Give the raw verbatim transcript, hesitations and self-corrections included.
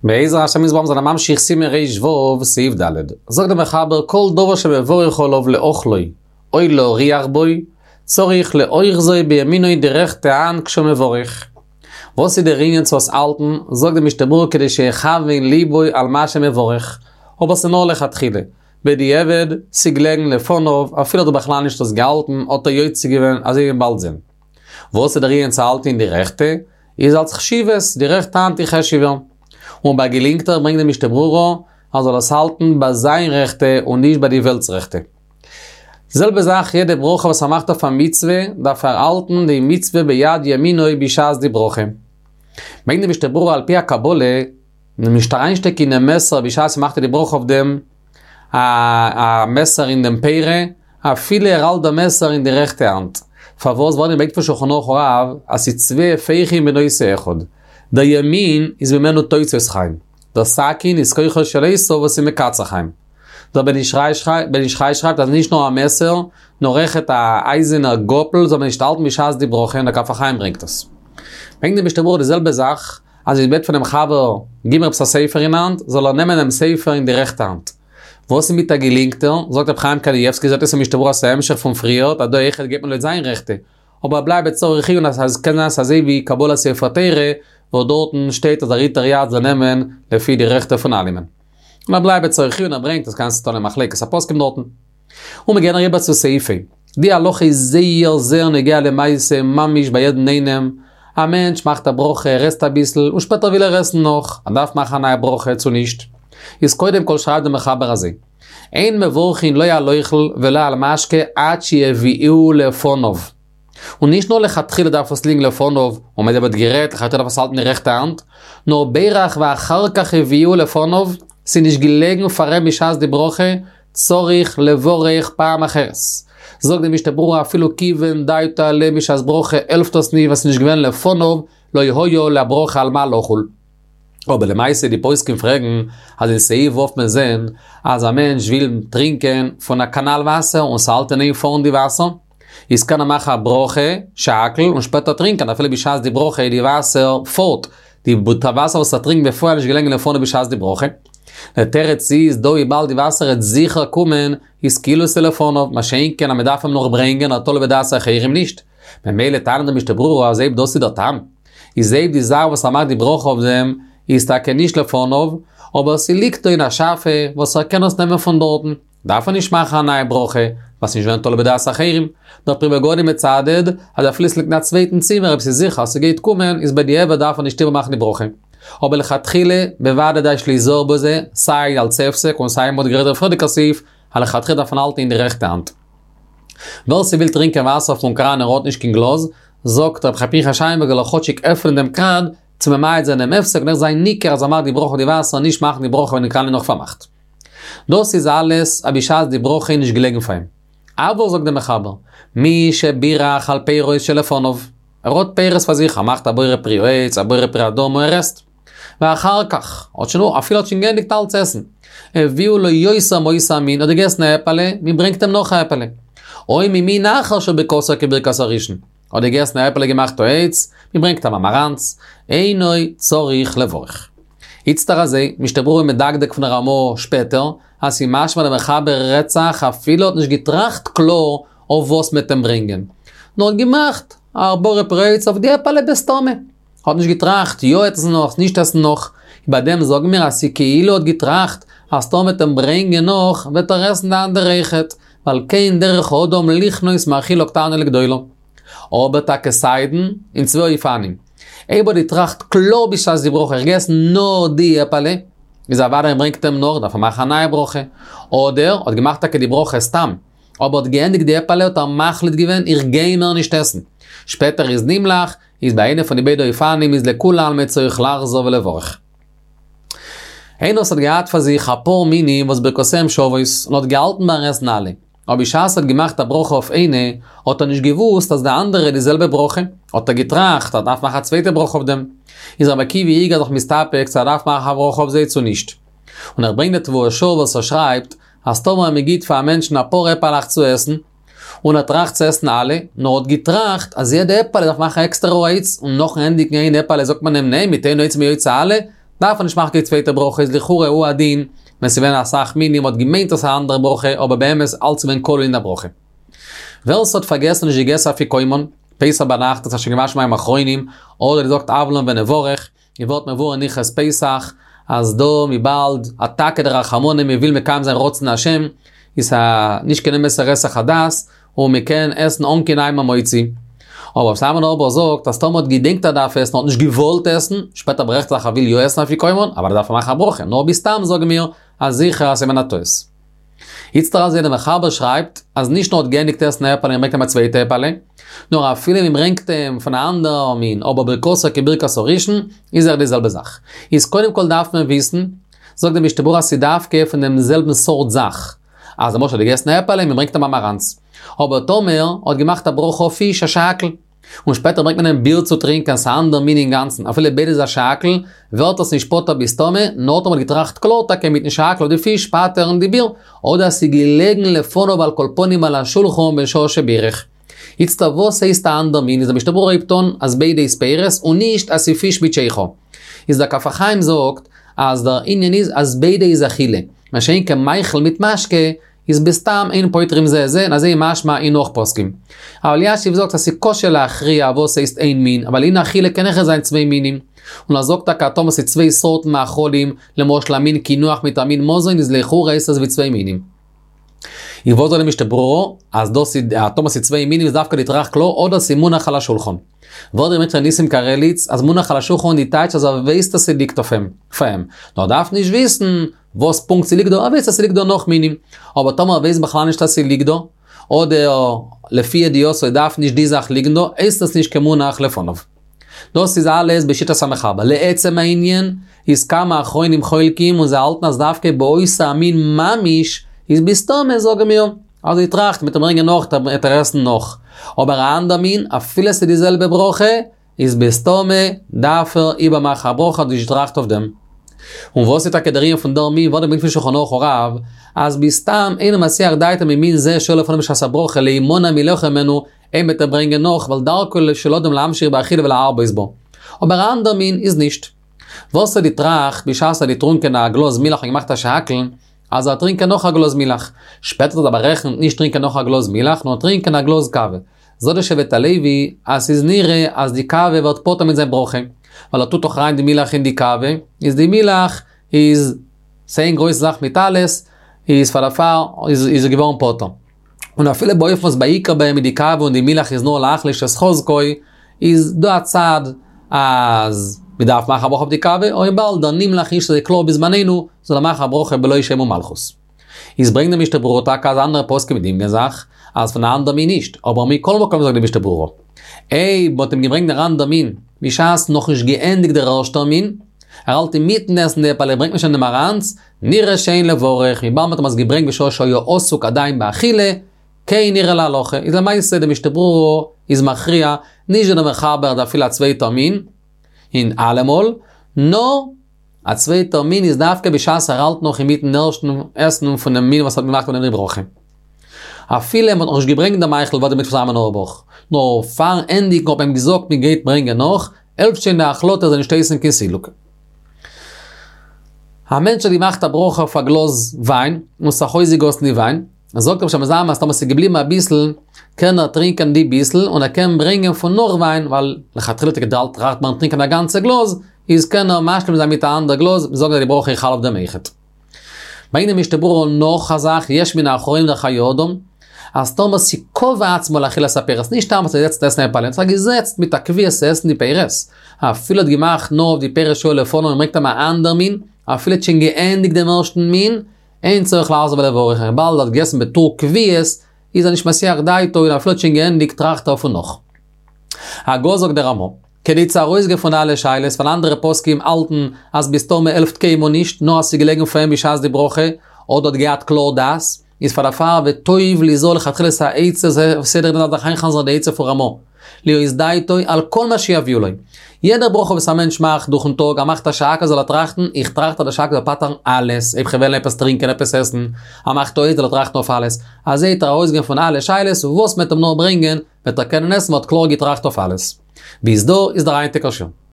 בעזר השם יתברך זענען ממשיך סימן ר ו סעיף ד'. זאגט דער מחבר כל דבר שמברך עליו לאוכלו או להריח בו, צריך לאוחזו בימינו די רעכטע האנט כשהוא מברך. וואס איז דער ענין צו עס האלטן? זאגט דער משנה ברורה כדי שיכוון ליבו על מה שמברך. אבער ס'איז נאר לכתחילה. בדיעבד, ס'געלעגן לפניו, אפילו האט ער בכלל נישט עס געהאלטן, האט ער יוצא געווען, אזוי ווי מ'וועט באלד זען. וואס איז דער ענין צו האלטן אין די רעכטע? איז אלס חשיבות, די רעכטע האנט איז חשוב'ער. און ביי געלינקטער ברענגט די משנה ברורה אז זאל עס האלטן ביי זיין רעכטע און נישט ביי די וועלט'ס רעכטע. די זעלבע זאך יעדע ברכה וואס ער מאכט אויף א מצוה, דארף ער האלטן די מצוה ביד ימינו בשעת די ברכה. ברענגט די משנה ברורה על פי הקבלה, נישט אריינשטעקן אינעם מעסער בשעת מ'מאכט די ברכה אויף דעם, א א מעסער אין דעם פירה, אפילו ער האלט דעם מעסער אין די רעכטע האנט. פארוואס? ווייל מ'ברענגט פון שולחן ערוך הרב אז ס'איז צוויי הפכים בנושא אחד. דער ימין איז ממנו תוצאות חיים. דער סכין איז כוחו של עשו וואס איז מקצר חיים. דער בן איש חי שרייבט אז נישט נאר א מעסער, נאר אויכעט א אייזענער גאפל זאל מען נישט האלטן בשעת די ברכה, און דער כף החיים ברענגט עס. ברענגט די משנה ברורה די זעלבע זאך, אז מען בעט פונעם חבר גיב מיר עפעס א ספר אין האנט, זאל ער נעמען דעם ספר אין די רעכטע האנט. וואס איז מיט א געלינקטער? זאגט רבי חיים קנייבסקי זעט אויס אין משנה ברורה אז ס'איז א המשך פון פריערט אז דא אויכעט גייט מען לויט זיין רעכטע, אבער בלייבט צריך עיון אז עס קען זיין ס'איז אזוי ווי קבלת ספר תורה וואס דארטן שטייט אז דער היתר יד זאל נעמען לפי די רעכטע פון אלעמען. און ער בלייבט צריך עיון ער ברענגט אז קענסט טון א מחלוקת הפוסקים דארטן. און מיר גייען אריבער צו סעיף ה'. די הלכה איז זייער זייער נוגע למעשה ממש ביי יעדן איינעם, א מענטש מאכט א ברכה ער עסט אביסל און שפעטער וויל ער עסן נאך, ער דארף מאכן א נייע ברכה צו נישט? איז קודם כל שרייבט דער מחבר אזוי, אין מברכין לא על אוכל ולא על משקה עד שיביאוהו לפניו. און נישט נאר לכתחילה דארף עס ליגן לפניו, און מען האט גערעדט לכתחילה דארף עס האלטן אין רעכטע האנט, נאר בירך ואחר כך הביאוהו לפניו, ס'איז נישט געלעגן פאר אים בשעת די ברכה, צריך לברך פעם אחרת. זאגט די משנה ברורה אפילו כיוון דעתו עליה בשעת ברכה העלפט עס נישט ווייל ס'איז נישט געווען לפניו, לא היה לברכה על מה לחול. אבער למעשה די פוסקים פרעגן אז אין סעיף ו' וועט מען זען אז א מענטש וויל טרינקען פון א קאנאל וואסער און ס'האלט אין איין פארן די וואסער, איז קען ער מאכן א ברכה, שהכל, און שפעטער טרינקען אפילו בשעת די ברכה די וואסער פארט, די וואסער וואס ער טרינקט בפועל איז נישט געלעגן לפניו בשעת די ברכה. דער תירוץ איז דא וויבאלד די וואסער העט זיכער קומען איז כאילו ס'לפניו, מה שאין כן אז מ'דארף אים נאך ברענגען א תלוי בדעת אחרים נישט. ממילא טענה'ט די משנה ברורה אז אויב דאס איז דער טעם, איז אויב די זאך וואס ער מאכט די ברכה אויף דעם איז טאקע נישט לפניו, אבער ס'ליגט דא אין א שאפע וואס ער קען עס נעמען פון דארטן, דארף ער נישט מאכן א נייע ברכה, ווייל ס'נישט געווען תלוי בדעת אחרים. דער פרי מגדים מצדד אז אפילו ס'ליגט אין א צווייטן צימער אויב ס'איז זיכער אז ס'גייט קומען איז בדיעבד דארף ער נישט איבערמאכן די ברכה. אבער לכתחילה בוודאי יש ליזהר בזה, סיי אלס הפסק און סיי מ'האט גערעדט דער פריערדיגער סעיף, אז לכתחילה דארף מען האלטן אין די רעכטע האנט. ווער ס'וויל טרינקען וואסער פון קראן און האט נישט קיין גלאז, זאגט רבי חיים פנחס שיינבערגער זאל ער כאטשיג עפענען דעם קראן צו ממעט זיין דעם הפסק און עכט זיין ניכר אז ער מאכט די ברכה אויף די וואסער נישט מאכן די ברכה ווען די קראן איז נאך פארמאכט. דאס איז אלעס אז בשעת די ברכה איז נישט געלעגן פאר אים. אבל זאגט דער מחבר, מי שבירך על פירות שלפניו, ער האט פירות פאר זיך, ער מאכט א בורא פרי העץ, א בורא פרי האדמה, ער עסט. ואחר כך, האט שוין, אפילו האט שוין געענדיגט אלץ עסן. הביאו לו יותר מאותו המין, האט געגעסן א עפעלע, מען ברענגט אים נאך א עפעלע. או ממין אחר שברכתו כברכת הראשון, האט געגעסן א עפעלע געמאכט העץ, מען ברענגט אים א מאראנץ, אינו צריך לברך. איצטער אזוי, משנה ברורה מדקדק פון רמא שפעטער, אז ס'איז משמע דער מחבר רעדט זיך אפילו האט נישט געטראכט קלאר אויף וואס מ'עט אים ברענגען, נאר האט געמאכט א בורא פרי העץ אויף די עפעלע בסתמא. האט נישט געטראכט יא עסן נאך נישט עסן נאך, ביי דעם זאגן מיר אז ס'כאילו האט געטראכט אז טאמער מ'עט אים ברענגען נאך וועט ער עסן די אנדערע אויכעט, ווייל כן דרך האדם לכנוס מאכילה קטנה לגדולה. אבער טאקע סיידן אין צוויי אופנים. אויב האט געטראכט קלאר בשעת די ברכה איך גיי עסן נאר די עפעלע, איז אוודאי מ'ברענגט אים נאך דארף ער מאכן א נייע ברכה. אדער האט געמאכט טאקע די ברכה סתם, אבער האט געענדיגט די עפעלע האט ער מחליט געווען איך גיי מער נישט עסן. שפעטער איז נמלך, איז ביי איינע פון די ביידע אופנים איז לכולי עלמא צריך לחזור ולברך. איינער וואס האט געהאט פאר זיך אפאר מינים וואס ברכותיהם שוות, און האט געהאלטן ביים עסן אלע, אבער בשעת ער האט געמאכט א ברכה אויף איינע, האט ער נישט געוואוסט אז די אנדערע די זעלבע ברכה, האט ער געטראכט אז ער דארף מאכן א צווייטע ברכה אויף דעם. איז רבי עקיבא איגר זיך מסתפק צו ער דארף מאכן א ברכה אויף זיי צו נישט. און ער ברענגט די תבואות שאול וואס ער שרייבט, אז טאמער מען גיט פאר א מענטשן אפאר עפעלעך צו עסן, און ער טראכט צו עסן אלע, נאר האט געטראכט אז יעדע עפעלע דארף מאכן עקסטערע העץ, און נאכן ענדיגן איין עפעלע זאגט מען אים ניין מיט איין העץ איז מען יוצא אלע, דארף ער נישט מאכן קיין צווייטע ברכה, איז לכאורה הוא הדין, ווען ס'געווען אסאך מינים, מ'האט געמיינט אז ס'איז א אנדערע ברכה, אבער באמת אלץ געווען כלול אין דער ברכה. ווער ס'האט פארגעסן נישט געגעסן אפיקומן, פסח ביינאכט האט זיך שוין געוואשן מים אחרונים, אדער געזאגט הב לן ונברך, ווי ווערט מבואר אין הלכות פסח, אז דא וויבאלד אתכא דרחמנא מ'וויל מקיים זיין רצון השם, איז א נישט קיין אמת'ער היסח הדעת, און מ'קען עסן אן קיין נייעם המוציא. אבער רב סלאמאן אויבער זאגט אז טאמער האט געדענקט ער דארף עסן האט נישט געוואלט עסן, שפעטער ברעכט זיך ער וויל יא עסן אפיקומן, אבער דארף ער מאכן א ברכה, נאר בסתם זאגן מיר אז זיכער אז ס'איז געווען א טעות. איצטער אז דער מחבר שרייבט אז נישט נאר האט געענדיגט עסן א עפעלע און ברענגט אים א צווייטע עפעלע, נאר אפילו מען ברענגט אים פון א אנדערע מין אבער ברכתו כברכת הראשון, איז אויך די זעלבע זאך. איז קודם כל דארף מען וויסן, זאגט דער משנה ברורה אז ס'איז דווקא פון דעם זעלבן סארט זאך. אז למשל האט געגעסן א עפעלע און מען ברענגט אים א מאראנץ. אבער טאמער האט געמאכט א ברכה אויף פיש א שהכל. און שפעטער ברענגט מען אים ביר צו טרינקען, ס'איז א אנדער מין אינגאנצן, אפילו ביידע איז א שהכל, ווערט עס נישט פטור בסתמא, נאר טאמער האט געטראכט קלאר טאקע מיטן שהכל אויף די פיש פטר'ן די ביר, אדער ס'איז געלעגן לפניו על כל פנים על השולחן בשעה שבירך. איצטער וואס הייסט א אנדער מין איז דער משנה ברורה הייבט אן אז ביידע איז פירות און נישט אז ס'איז פיש מיט שכר. איז דער כף החיים זאגט אז דער ענין איז אז ביידע איז אכילה, מה שאין כן מאכל מיט משקה איז בסתם אין פוטרים זה את זה און אזוי איז משמע אין נאך פוסקים. הרב אלישיב זאגט אז ס'איז קשה להכריע וואס הייסט איין מין, ווייל אין אכילה קען אויכעט זיין צוויי מינים. און ער זאגט טאקע אז טאמער ס'איז צוויי סארטן מאכלים, למשל א מין קינוח מיט א מין מזון איז לכאורה הייסט עס ווי צוויי מינים. און וואס זאגט די משנה ברורה אז דאס איז אז טאמער ס'איז צוויי מינים איז דווקא געטראכט קלאר אדער ס'איז מונח על השולחן. וואס דער ר' ניסים קרליץ אז מונח על השולחן די טייטש אז ער ווייסט אז ס'ליגט אויף אים, פאר אים. נאר ער דארף נישט וויסן וואס פונקט ס'ליגט דא, ער ווייסט אז ס'ליגט דא נאך מינים. אבער טאמער ער ווייסט בכלל נישט אז ס'ליגט דא, אדער לפי ידיעתו דארף נישט די זאך ליגן דא, הייסט עס נישט כמונח לפניו. דאס איז אלעס בשיטת המחבר. לעצם הענין, איז כמה אחרונים חולקים און זיי האלטן אז דווקא באותו המין ממש איז בסתמא זאגן מיר אז ער טראכט מ'וועט אים ברענגען נאך וועט ער עסן נאך. אבער א אנדער מין אפילו ס'איז די זעלבע ברכה איז בסתמא דארף ער איבערמאכן א ברכה האט נישט געטראכט אויף דעם. און וואס איז טאקע דער ענין פון דער מין וואס ברענגט פון שולחן ערוך הרב אז בסתם אינו מסיח דעתו ממין זה שהיה לפניו בשעת הברכה להימנע מלאכול ממנו אויב מ'וועט אים ברענגען נאך ווייל דרכו של אדם להמשיך באכילה ולהרבות בו. אבער א אנדער מין איז נישט. וואס האט געטראכט בשעת ער האט געטרונקען א גלאז מילך און געמאכט א שהכל, אז ער טרינקען נאך א גלאז מילך. שפעטער האט ער בארעכנט נישט טרינקען נאך א גלאז מילך, נאר טרינקען א גלאז קאווע. זאגט דער שבט הלוי אז ס'איז נראה אז די קאווע ווערט פטור מיט זיין ברכה, ווייל ער טוט דאך אריין די מילך אין די קאווע, איז די מילך איז ס'איין גרויסע זאך מיט אלעס, איז פאר דערפאר איז ער געווארן פטור. און אפילו באופן וואס בעיקר ביי אים איז די קאווע און די מילך איז נאר להחליש את חזקו, איז דא א צד אז מ'דארף מאכן א ברכה אויף די קאווע, אבער וויבאלד דער נמלך איז נישט אזוי קלאר בזמנינו, זאל ער מאכן א ברכה בלא שם ומלכות. איז ברענגט די משנה ברורה טאקע אז אנדערע פוסקים דינגען זיך אז פון א אנדער מין נישט, אבער מכל מקום זאגט די משנה ברורה, אויב מ'האט אים געברענגט דער אנדער מין בשעת נאכנישט געענדיגט דער ערשטער מין, ער האלט אינמיטן עסן די עפעלע ברענגט מען שוין די מאראנץ, נראה שאין לברך, וויבאלד מ'האט אים עס געברענגט בשעה שהיה עסוק עדיין באכילה, כן נראה להלכה, איז למעשה די משנה ברורה איז מכריע, נישט ווי דער מחבר אז אפילו א צווייטער מין, אין אלעמאל, נאר א צווייטער מין איז דווקא בשעת ער האלט נאך אינמיטן ערשטן עסן פונעם מין וואס האט געמאכט פון דעם די ברכה. אפילו מ'האט נאכנישט געברענגט די מאכל וואס דערמיט פון זיין אויערבאך, נאר פארן ענדיגן האט מען אים געזאגט מען גייט ברענגען נאך, העלפט שוין די החלטה זאל נישט הייסן קיין סילוק. א מענטש האט געמאכט א ברכה אויף א גלאז וויין, און ס'האט זיך אויסגעגאסן די וויין, זאגט רבי שלמה זלמן אז טאמער ס'איז געבליבן אביסל, קען ער טרינקען די ביסל, און ער קען ברענגען פון נאך וויין, ווייל לכתחילה האט ער געדארפט טראכטן ביים טרינקען א גאנצע גלאז, איז קען ער משלים זיין מיט א אנדער גלאז, זאגן אז די ברכה איז חל אויף דעם אויכעט. ברענגט די משנה ברורה נאך א זאך, יש מן האחרונים דער חיי אדם, אז טאמער ס'קבע עצמו לאכילת הפירות, נישט סתם אז ער זעצט עסן עפעלע, ער האט זיך געזעצט מיט א קביעות צו עסן די פירות, אפילו האט געמאכט נאר אויף די פירות שהיו לפניו און ברענגט אים א אנדער מין, אפילו האט שוין געענדיגט דעם ערשטן מין, אין צריך לחזור ולברך, וויבאלד ער האט געגעסן בתור קביעות, איז ער נישט מסיח דעתו און אפילו האט שוין געענדיגט טראכט ער פון נאך. הגה זאגט דער רמא, כדי צו ארויסגיין פון אלע שאלות, ווייל אנדערע פוסקים האלטן אז בסתמא העלפט קיינמאל נישט, נאר אז ס'איז געלעגן פאר אים בשעת די ברכה, אדער האט געהאט קלאר דעת, איז פאר דערפאר וטוב ליזהר לכתחילת העצה סדר דען דארף זיך איינ'חזר'ן די עצה פון רמא, להיות דעתו על כל מה שיביאו לו. יעדע ברכה וואס א מענטש מאכט דורכ'ן טאג, ער מאכט א שהכל זאל ער טראכטן, איך טראכט אז די שהכל זאל פטר'ן אלעס, אויב כ'וועל עפעס טרינקען, עפעס עסן, ער מאכט העץ זאל ער טראכטן אויף אלעס, אזוי וועט ער ארויסגיין פון אלע שאלות, וואס מ'וועט אים נאר ברענגען, וועט ער קענען עסן, מ'האט קלאר געטראכט אויף אלעס. ביז דא איז דער היינטיגער שיעור.